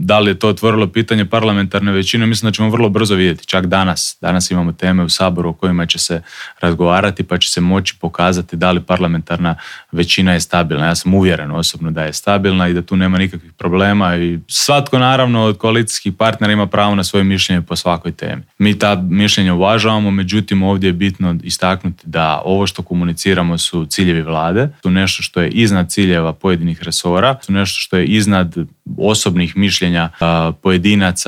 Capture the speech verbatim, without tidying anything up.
da li je to otvorilo pitanje parlamentarne većine, mislim da ćemo vrlo brzo vidjeti, čak danas. Danas imamo teme u Saboru o kojima će se razgovarati, pa će se moći pokazati da li parlamentarna većina je stabilna. Ja sam uvjeren osobno da je stabilna i da tu nema nikakvih problema i svatko naravno od koalicijskih partnera ima pravo na svoje mišljenje po svakoj temi. Mi ta mišljenja uvažavamo, međutim ovdje je bitno istaknuti da ovo što komuniciramo su ciljevi vlade, su nešto što je iznad ciljeva pojedinih resora, su nešto što je iznad osobnih mišljenja pojedinaca